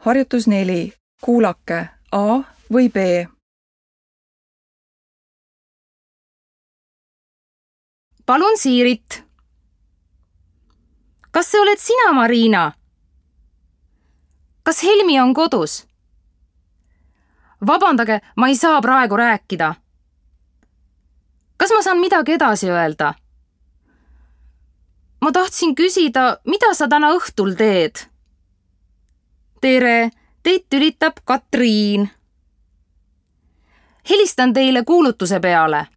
Harjutus 4. Kuulake A või B. Palun Siirit. Kas see oled sina, Marina? Kas Helmi on kodus? Vabandage, ma ei saa praegu rääkida. Kas ma saan midagi edasi öelda? Ma tahtsin küsida, mida sa täna õhtul teed? Tere, teid tülitab Katriin. Helistan teile kuulutuse peale.